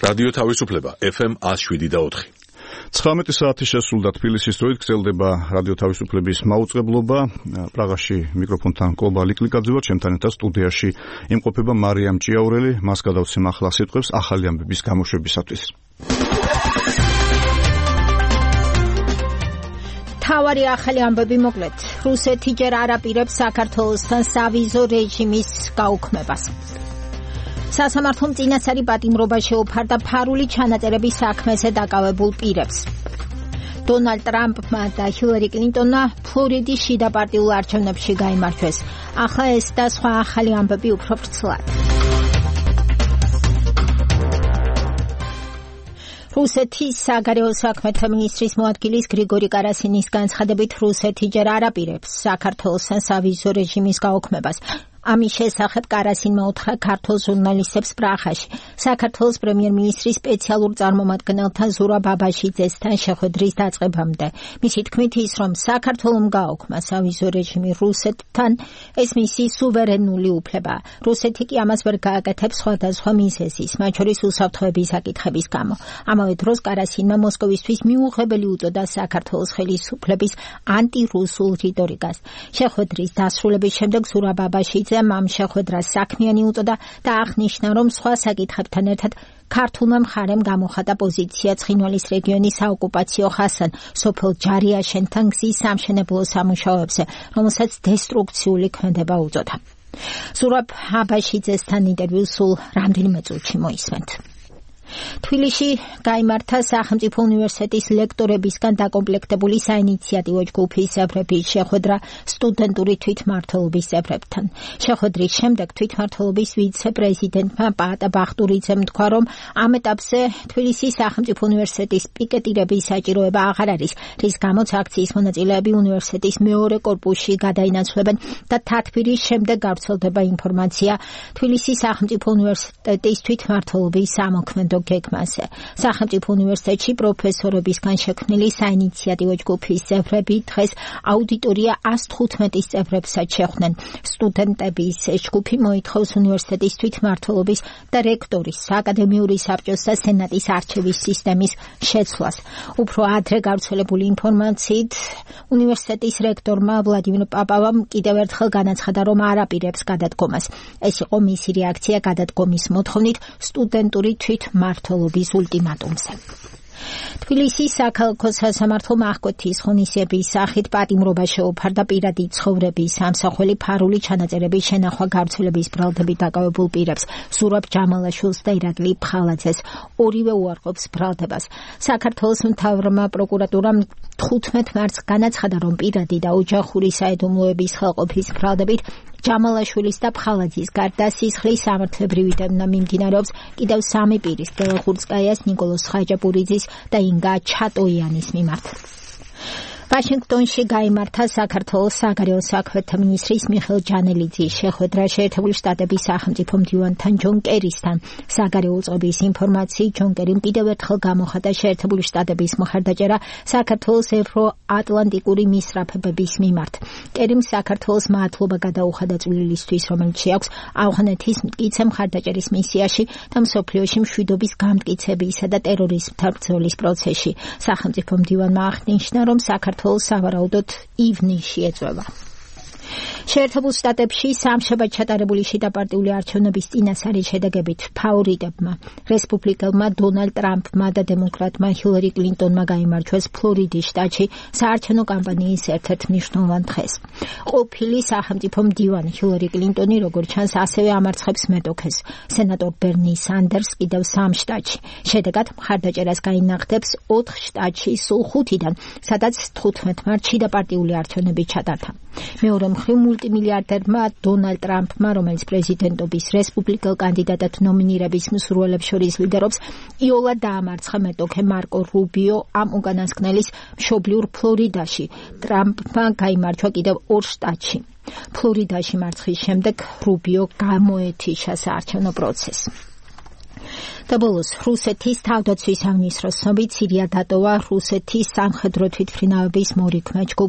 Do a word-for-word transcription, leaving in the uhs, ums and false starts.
რადიო თავისუფლება ეფ ემ one oh seven და four. ცხრამეტი საათი შესრულდა თბილისის დროით გრძელდება რადიო თავისუფლების მაუწყებლობა. პრაღაში მიკროფონთან კლობა ლიკლიკაძე ვარ, ჩემთან ერთად სტუდიაში იმყოფება მარიამ ჭიაურელი. მას გადავცემ ახლა სიტყვებს ახალი ამბების გამოშვებისათვის. თავარი ახალი ამბები მოკლედ. რუსეთი ჯერ არ აპირებს საქართველოსთან სავიზო რეჟიმის გაუქმებას. სასამართლომ წინასწარი პატიმრობა შეუფარდა ფარული ჩანაწერების საქმეზე დაკავებულ პირებს. დონალდ ტრამპმა და ჰილარი კლინტონმა ფლორიდის შიდა პარტიულ არჩევნებში გაიმარჯვეს. ახლა ეს და სხვა ახალი ამბები უფრო ფრთლად. რუსეთის საგარეო საქმეთა მინისტრის მოადგილის გრიგორი კარასინის განცხადებით რუსეთი ჯერ არ აპირებს საქართველოსთან სავიზო რეჟიმის გაუქმებას. ამის შესახებ კარასინმა უთხრა ქართულ ჟურნალისტებს პრაღაში. საქართველოს პრემიერ-მინისტრის სპეციალურ წარმომადგენელთან ზურაბ აბაშიძესთან შეხვედრის დაწყებამდე. მისი თქმით ის, რომ საქართველომ გააუქმა სავიზო რეჟიმი რუსეთთან, ეს მისი სუვერენული უფლებაა. რუსეთი კი ამას ვერ გააკეთებს სხვადასხვა მიზეზის, მათ შორის უსაფრთხოების საკითხების გამო. ამავე დროს კარასინმა მოსკოვისთვის მიუღებელი უწოდა საქართველოს ხელისუფლების ანტირუსულ რიტორიკას. შეხვედრის დასრულების შემდეგ ზურაბ აბაშიძე ამ შეხვედრას საქმიანი უწოდა და აღნიშნა, რომ სხვა საკითხებთან ერთად ქართულმა მხარემ გამოხატა პოზიცია ცხინვალის რეგიონის საოკუპაციო ხასთან სოფელ ჯარიაშენთან გზის სამშენებლო სამუშაოებზე, რომელსაც დესტრუქციული ქმედება უწოდა. ზურაბ აბაშიძესთან ინტერვიუ სულ რამდენიმე წუთში მოისმენთ. თბილისში გაიმართა სახელმწიფო უნივერსიტეტის ლექტორებისგან დაკომპლექტებული საინიციატივო ჯგუფის წევრების შეხვედრა სტუდენტური თვითმმართველობის წევრებთან. შეხვედრის შემდეგ თვითმმართველობის ვიცე-პრეზიდენტმა პაატა ბახტურიძემ თქვა, რომ ამ ეტაპზე თბილისის სახელმწიფო უნივერსიტეტის პიკეტირების საჭიროება აღარ არის, რის გამოც აქციის მონაწილეები უნივერსიტეტის მეორე კორპუსში გადაინაცვლებენ და თათბირის შემდეგ გავრცელდება ინფორმაცია თბილისის სახელმწიფო უნივერსიტეტის თვითმმართველობის სამოქმედო გეგმაზე. სახელმწიფო უნივერსიტეტში პროფესორებისგან შექმნილი საინიციატივო ჯგუფის წევრები დღეს აუდიტორია one hundred fifteen წევრებსაც შეხვდნენ. სტუდენტების ჯგუფი მოითხოვს უნივერსიტეტის თვითმმართველობის და რექტორის, აკადემიური საბჭოს და სენატის არჩევის სისტემის შეცვლას. უფრო ადრე გავრცელებული ინფორმაციით, უნივერსიტეტის რექტორმა ვლადიმირ პაპავამ კიდევ ერთხელ განაცხადა, რომ არ აპირებს გადადგომას. ეს იყო მისი რეაქცია გადადგომის მოთხოვნით სტუდენტური თვითმმართველობის მმართველობის ულტიმატუმზე. თბილისის საქალაქო სასამართლომ აღკვეთის ღონისძიების სახით პატიმრობა შეუფარდა პირადი ცხოვრების ამსახველი ფარული ჩანაწერების შენახვა გავრცელების ბრალდებით დაკავებულ პირებს, ზურაბ ჯამალაშვილს და ირაკლი ფხალაძეს. ორივე უარყოფს ბრალდებას. საქართველოს მთავრმა პროკურატურამ თხუთმეტ მარტს განაცხადა, რომ პირადი და ოჯახური საიდუმლოების ხელყოფის ბრალდებით ჯამალაშვილის და ფხალაძის გარდა სისხლის სამართლებრივი დევნა მიმდინარეობს კიდევ სამი პირის, დელახურცკაიას, ნიკოლოზ ხაჯაპურიძის და ინგა ჩატოიანის მიმართ. ვაშინგტონში გაიმართა საქართველოს საგარეო საქმეთა მინისტრის მიხეილ ჯანელიძის შეხვედრა შეერთებული შტატების სახელმწიფო მდივანთან ჯონ კერისთან. საგარეო უწყების ინფორმაციით ჯონ კერიმ კიდევ ერთხელ გამოხატა შეერთებული შტატების მხარდაჭერა საქართველოს ევროატლანტიკური მისწრაფებების მიმართ. კერიმ საქართველოს მადლობა გადაუხადა წვლილისთვის, რომელიც შეაქვს ავღანეთის მტკიცე მხარდაჭერის მისიაში და მსოფლიოში მშვიდობის გამტკიცებისა და ტერორიზმთან ბრძოლის პროცესში. სახელმწიფო მდივანმა აღნიშნა, რომ საქართველოს სავარაუდოდ ივნისში ეწევა. შეერთებულ შტატებში სამშაბათ ჩატარებული შიდა პარტიული არჩევნების წინასწარი შედეგებით ფავორიტებმა, რესპუბლიკელმა დონალდ ტრამპმა და დემოკრატმა ჰილარი კლინტონმა გაიმარჯვეს ფლორიდის შტატში საარჩევნო კამპანიის ერთ-ერთ მნიშვნელოვან დღეს. ყოფილი სახელმწიფო მდივანი ჰილარი კლინტონი, როგორც ჩანს, ასევე ამარცხებს მეტოქეს, სენატორ ბერნი სანდერს კიდევ სამ შტატში. შედეგად მხარდაჭერას გაინახდებს ოთხ შტატში სულ ხუთიდან, სადაც თხუთმეტ მარტს შიდა პარტიული არჩევნები ჩატარდა. მეორე მხრივ მულტიმილიარდერმა დონალდ ტრამპმა, რომელიც პრეზიდენტობის რესპუბლიკელ კანდიდატად ნომინირების მსურველებს შორის ლიდერობს, იოლად დაამარცხა მეტოქე მარკო რუბიო ამ უკანასკნელის მშობლიურ ფლორიდაში. ტრამპმა გაიმარჯვა კიდევ ორ შტატში. ფლორიდაში მარცხის შემდეგ რუბიო გამოეთიშა საარჩევნო პროცესს. და ბოლოს რუსეთის თავდაცვის სამინისტროს ცნობით სირია დატოვა რუსეთის სამხედრო თვითმფრინავების მორიქმე ჯგუფ